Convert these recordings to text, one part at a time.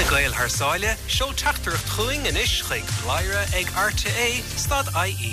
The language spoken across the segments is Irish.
Le Gaeil thar sáile, seol teachtaireacht chugainn anois chuig bladhaire ag rte stad ie.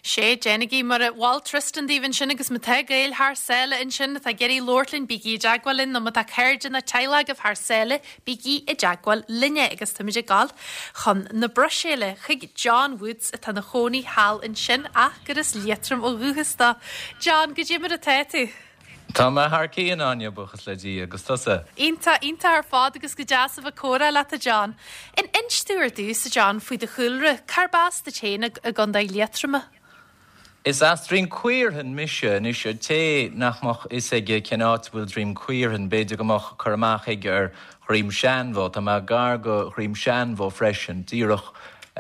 Sea, déanaigí mar a mhol Tristan daoibh ansin agus má tá Gaeil thar sáile ansin atá ag iarraidh labhairt linn, bígí i dteagmháil linn nó má tá cairde nó teaghlach agaibh thar sáile, bígí i dteagmháil linne agus táimid ag gabháil chun na Bruiséile chuig John Woods atá ina chónaí thall ansin ach gur as Liatroim ó dhúchas dó. John, goidé mar atá tú? Tá mé thar cionn, Áine, buíochas le Dia, agus tusa? Iontach, iontach ar fad agus go deas a bheith ag comhrá leat, a John. An inis domh ar dtús, a John, faoi do chúlra, cárb as duit féin i gContae Liatroma? Is as Droim Caorthainn mise. Anois, an té nach mbeadh fhios aige cén áit a bhfuil Droim Caorthainn, b'fhéidir go mbeadh cur amach aige ar Dhroim Seanbhó. Tá mé gar go Dhroim Seanbhó freisin, díreach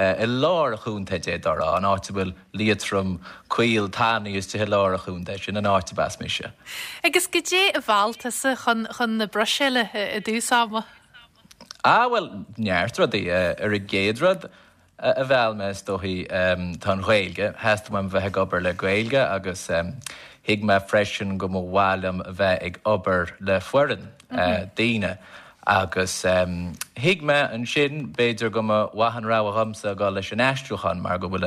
i lár an chontae, d'fhéadfá a rá, an áit a bhfuil Liatroim caol tanaí istigh i lár an chontae, sin an áit ab as mise. Agus goidé a mheall tusa chun chun na Bruiséile i dtús ama? Ah, bhuel, neart rudaí. Ar an gcéad rud a mheall mé, is dóichí, tá an Ghaeilge. Theastaigh uaim a bheith ag obair le Gaeilge agus thuig mé freisin go mba mhaith liom a bheith ag obair le foireann, daoine. Agus thuig mé ansin, b'fhéidir go mba mhaith an rogha dhomsa a dhul leis an aistriúchán mar go bhfuil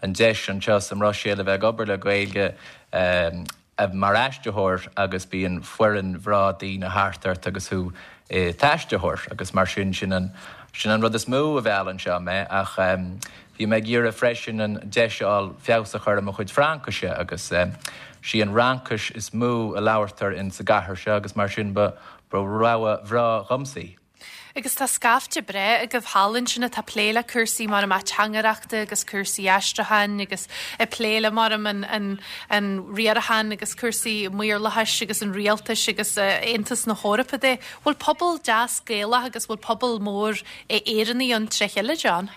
an deis anseo sa mBruiséil a bheith ag obair le Gaeilge mar aistritheoir agus bíonn foireann bhreá daoine thart ort agus thú i d'aistritheoir agus mar sin, sin an, sin an rud is mó a mheall anseo mé ach bhí mé ag iarraidh freisin an deis a fháil feabhas a chur ar mo chuid Fraincise agus sí an Fhraincis is mó a labhartar in sa gcathair seo agus mar sin ba Ba rogha bhreá dhomsa í. Agus tá scaifte breá agaibh thall ansin atá ag plé le cúrsaí mar ateangaireachta agus cúrsaí aistriúcháin agus ag plé le mar an an an riarachán agus cúrsaí maorlathais agus an rialtais agus Aontas na hEorpa de. Bhfuil pobal deas Gaelach agus bhfuil pobal mór Éireannaigh ann tré chéile, John?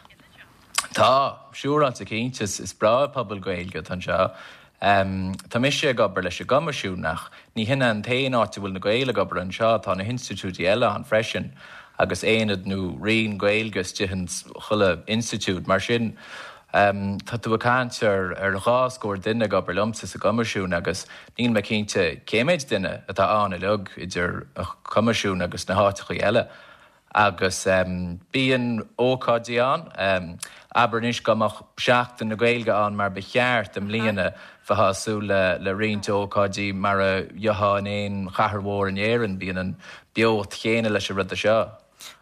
Tá, siúráilte cinnte. Is breá an pobal Gaeilge atá anseo. Tá mise ag obair leis an gCoimisiún ach ní hin é an t-aon áit a bhfuil na Gaeil ag obair anseo, tá na hinstitiúidí eile ann freisin agus aonad nó roinn Gaeilge istigh ins chuile institiúid. Mar sin, tá tú ag caint ar dhá scór duine ag obair liomsa sa gCoimisiún agus níl mé cinnte cé méid duine atá ann uilig idir an Coimisiún agus na háiteachaí eile. Agus bíonn ócáidí ann. Abair anois dá mbeadh Seachtain na Gaeilge ann mar ba cheart i mbliana, bheifeá ag súil le roinnt ócáidí mar a gheofá in aon chathair mhór in Éirinn. Bíonn an beocht chéanna leis an rud seo.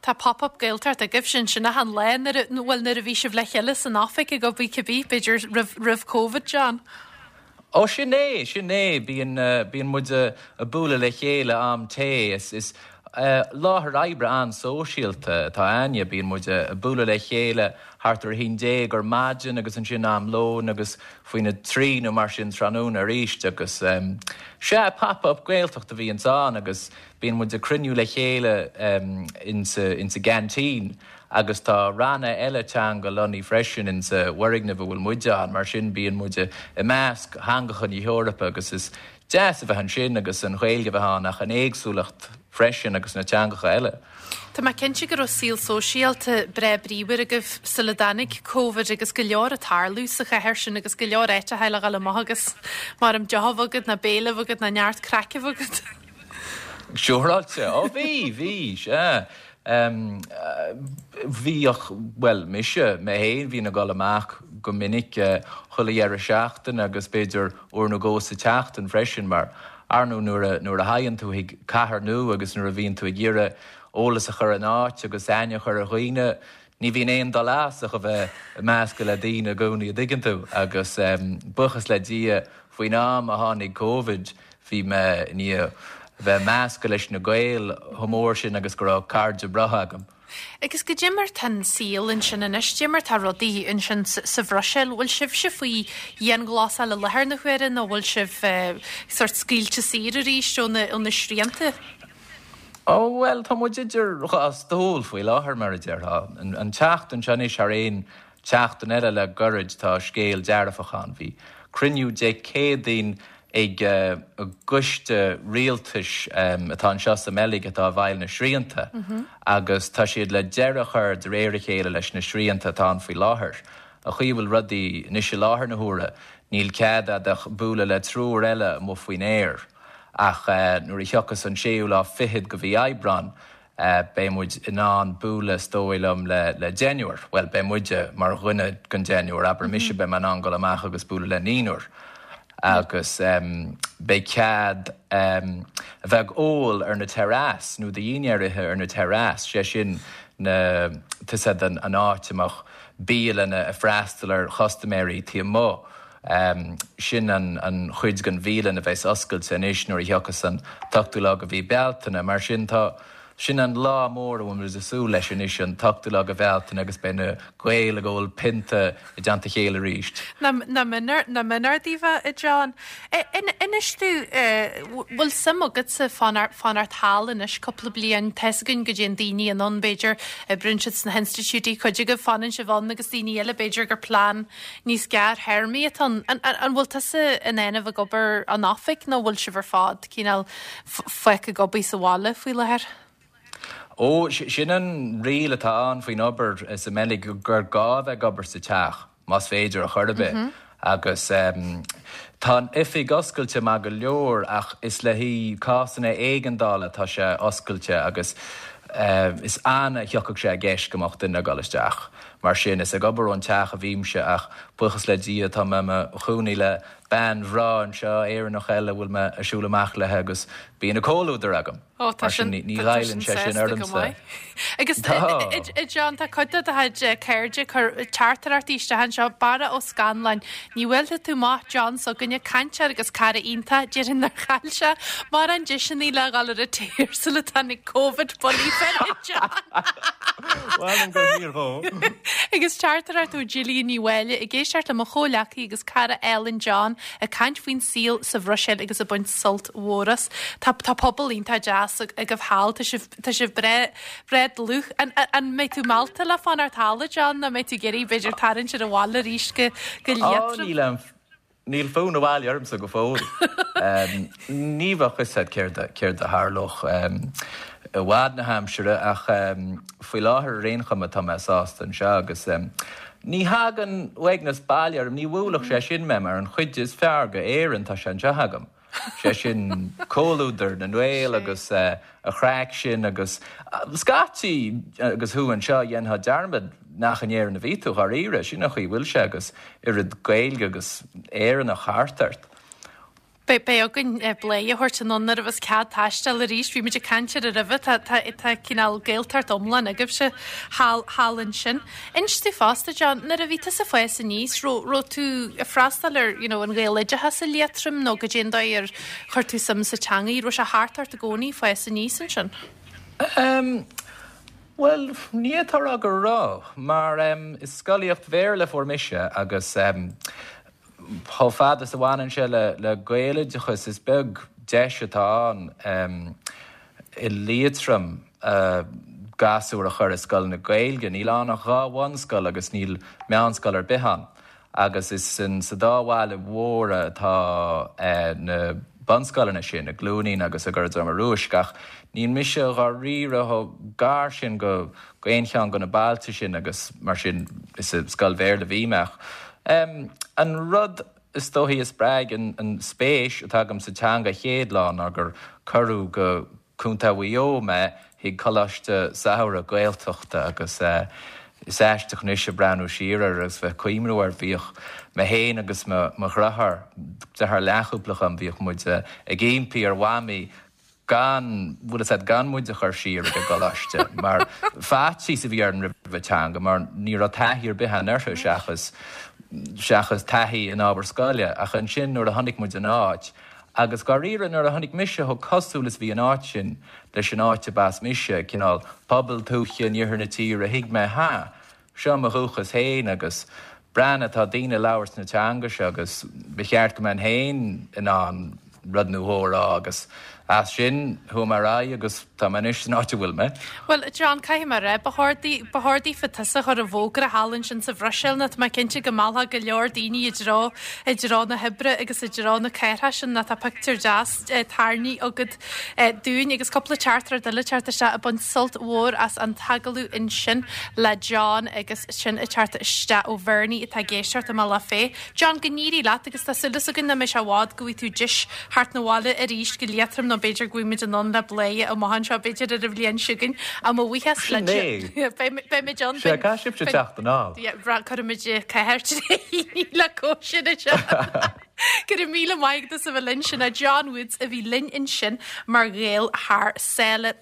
Tá Pop Up Gaeltacht agaibhse ansin achan lá nuair a, bhuel nuair a bhí sibh le chéile san oifig ag obair cibé, b'fhéidir roimh, roimh Covid, John? Ó sin é, sin é, bíonn, bíonn muid ag bualadh le chéile am tae, is, is láthair oibre an-sóisialta atá a'inne, bíonn muid ag bualadh le chéile thart ar a haon déag ar maidin agus ansin am lóin agus faoina trí nó mar sin tráthnóna arís agus sea, Pop Up Gaeltacht a bhíonns ann agus bíonn muid ag cruinniú le chéile insa, insa gceaintín. Agus tá ranna eile teanga lonnaithe freisin insa bhfoirgneamh a bhfuil muide ann, mar sin bíonn muid i measc theangacha na hEorpa agus is deas a bheith ansin agus an Ghaeilge a bheith ann ach an éagsúlacht freisin agus na teangacha eile. Tá mé cinnte go raibh saol sóisialta breá bríomhar agaibh sula dtáinig Covid agus go leor ag tarlú sa chathair sin agus go leor áiteacha le dhul amach agus maram deoch a bheith agat ná béile a bheith agat ná neart craic a bheith agat. Siúráilte. Ó bhí, bhí, sea. Bhíodh, bhuel, mise, mé féin, bhínn ag dul amach go minic chuile dheireadh seachtaine agus b'fhéidir uair nó dhó sa tseachtain freisin mar, ar ndóigh, nuair a, nuair a thagann tú chuig cathair nua agus nuair a bhíonn tú ag iarraidh eolas a chur in áit agus aithne a chur ar dhaoine, ní bhíonn aon dul as ach a bheith ag meascadh le daoine i gcónaí, a dtuigeann tú. Agus buíochas le Dia, faoin am a tháinig Covid, Bhí mé i ndiaidh a bheith measctha leis na Gaeil chomh mór sin agus go raibh cairde breátha agam. Agus goidé mar tá an saol ansin anois, goidé mar tá rudaí ansin sa Bhruiséil, bhfuil sibhse faoi dhianghlasáil i láthair na huaire nó bhfuil sibh sórt scaoilte saor arís ó na srianta? Ó, bhuel, tá muid idir dhá stól faoi láthair, mar a déarfá. An tseachtain seo anois thar aon tseachtain eile le goirid tá scéal dearfach ann. Bhí cruinniú Dé Céadaoin ag an gcoiste rialtais atá anseo sa mBeilg atá i bhfeighil na srianta agus tá siad le deireadh a chur de réir a chéile leis na srianta atá ann faoi láthair. An chaoi a bhfuil rudaí anois i láthair na huaire níl cead a'd ach bualadh le triúr eile amuigh faoin aer ach nuair a thiocfas an séú lá fichead de mhí Aibreán. Beidh muid in ann bualadh, is dóigh liom, le deichniúr. Bhuel, beidh muide mar dhuine den deichniúr, abair mise, beidh mé in ann dul amach agus bualadh le naonúr. Agus beidh cead a bheith ag ól ar na terraces, nó do dhaoine áirithe ar na terraces, sé sin na, tá 'fhios a'd, an áit a mbeadh bialanna ag freastal ar chustaiméirí taobh amuigh. Sin an chuid den bhialann a bheas oscailte anois nuair a thiocfas an t-ochtú lá de mhí Bealtaine. Mar sin tá, sin an lá mór a bhfuil muid ag súil leis anois, an t-ochtú lá de Bhealtaine agus beidh na Gaeil ag ól pionta i dteannta a chéile arís. Nach mb'ionadh daoibh, a John. Inis domh, bhfuil suim agatsa fanacht thall anois cúpla bliain? Tá's againn go dtéann daoine anonn, b'fhéidir, oibríonn siad sna hinstitiúidí, cuid agaibh fanann sibh ann agus daoine eile b'fhéidir gur plean níos gearrthéarmaí atá ann. An bhfuil tusa in ann a bheith ag obair ón oifig nó bhfuil sibh ar fad cineál fágtha ag obair sa bhaile faoi láthair? Ó, sin an riail atá ann faoin obair sa mBeilg, gur gá a bheith ag obair sa teach, más féidir ar chor ar bith. Agus tá an oifig oscailte maith go leor ach is le haghaidh cásanna éigeandála atá sé oscailte agus is annamh a thiocfadh sé i gceist go mbeadh duine ag dul isteach. Mar sin, is ag obair ón teach a bhímse ach buíochas le Dia tá mé i mo chónaí le bean bhreá anseo, Éireannach eile a bhfuil mé ag siúl amach léi agus bíonn a comhluadar agam. Ó, tá Mar sin, sin, ní tá ghoilleann sin sé sin sásta go ormsa. maith. Agus Tá. a John, tá cuid de do chuid cairde ag cur teachtaireachtaí isteach anseo, Barra Ó Scanláin, ní bhuailfidh tú amach John s'againne, cainteoir agus cara iontach, déarfainn nár chaill sé mórán deiseanna le dhul ar an tear sula dtáinig Covid bullaí fé John. Mh'anam gur fíor dhó. Agus teachtaireacht ó Gillian Ní Mháille ag éisteacht le mo chomhleacaí agus cara álainn John ag caint faoin saol sa Bhruiséil agus ag baint sult mhór as. Tá tá pobal iontach deas agaibh thall, tá sibh tá sibh breá breá dlúth. An an mbeidh tú meallta le fanacht thall a John nó mbeidh tú ag iarraidh b'fhéidir tarraingt ar an bhaile arís go go Á Liatroim? níl aon Níl fonn abhaile ormsa go fóill. Ní bheadh a fhios a'd céard a céard a tharlódh i bhfad na haimsire ach faoi láthair ar aon chuma tá mé sásta anseo agus ní thagann uaigneas baile orm, ní bhuailfeadh sé sin mé mar an chuid is fearr go Éirinn tá sé anseo agam. Sé sin comhluadar na nGael agus an chraic sin agus scaití agus thú anseo dhéanfá dearmad nach in Éirinn a bhí tú, dháiríre, sin an chaoi a bhfuil sé agus oiread Gaeilge agus Éireannach thart ort. Beidh againn bladhaire a thabhairt anonn nuair a bheas cead taisteal arís. Bhí muid ag caint air roimhe, tá tá cineál Gaeltacht iomlán agaibhse thall thall ansin. Inis domh fosta, John, nuair a bhí tusa ag fás aníos, raibh, raibh tú ag freastal ar, you know, an Ghaeloideachas i Liatroim nó goidé an dóigh ar chuir tú suim sa teangaidh? Raibh sé thart ort i gcónaí ag fás aníos ansin? Em, bhuel, ní fhéadfá a rá go raibh, mar, em, is scolaíocht Bhéarla a fuair mise agus, em, Chomh fada is a bhaineann sé le Gaeloideachas, is beag deis atá ann i Liatroim gasúir a chur i scoileanna Gaeilge. Níl ann ach 2 bhunscoil agus níl meánscoil ar bith ann. Agus is sa dá bhaile mhóra atá na bunscoileanna sin, i gCluainín agus i gCora Droma Rúisc. Ach níl mise dháiríre chomh gar sin go aon cheann de na bailte sin agus mar sin is i scoil Bhéarla a bhí mé. Ach an rud is dóichí a spreag an spéis atá agam sa teanga chéad lá ná gur cuireadh go Contae Mhaigh Eo mé chuig coláiste samhraidh Gaeltachta agus is aisteach anois ag breathnú siar air agus bheith ag cuimhniú air. Bhíodh mé féin agus mo dheartháir, deartháir leathchúpla dhom, bhíodh muid ag impí ar Mhamaí gan, bhfuil fhios a'd, gan muid a chur siar ag an gcoláiste mar faitíos a bhí orainn roimh an teanga mar ní raibh taithí ar bith againn uirthi seachas, seachas taithí in ábhar scoile. Ach ansin nuair a chonaic muid an áit, agus dháiríre nuair a chonaic mise chomh cosúil is bhí an áit sin leis an áit a b'as mise, cineál pobal tuaithe in iarthar na tíre, thuig mé, ha, Seo mo dhúchas féin agus breathnaigh, tá daoine ag labhairt na teanga seo agus ba cheart go mbeinn féin in ann rud nó dhó a rá agus as sin chuaigh mé ar aghaidh agus tá mé anois san áit a bhfuil mé. Bhuel, John, caithfidh mé a rá, ba chóir ba chóir daofa tusa a chur i bhfógra thall ansin sa Bhruiséil nó tá mé cinnte go meallfá go leor daoine i dtreo, i dtreo na hoibre agus i dtreo na cathrach sin nó tá pictiúr deas tarraingthe agat dúinn agus cúpla teachtaireacht eile ag teacht isteach ag baint sult mhór as an t-agallamh ansin le John agus sin ag teacht isteach ó Bhernie atá ag éisteacht i mBealach Féich. John, go n-éirí leat agus tá súil againn nach mbeidh sé i bhfad go bhfaighidh tú deis theacht 'na bhaile arís go Liatroim nó. nó b'fhéidir go bhfuil muid in ann le Bladhaire amach anseo, b'fhéidir ar an bhliain seo chugainn. Ach mo bhuíochas Sin leat. é. Beidh muid ann. Sea, caithfidh sibhse teacht anall. Cuirfimid cathair le cóisir anseo. Go raibh míle maith agat as a bheith linn. Sin é John Woods a bhí linn ansin mar Ghael thar sáile.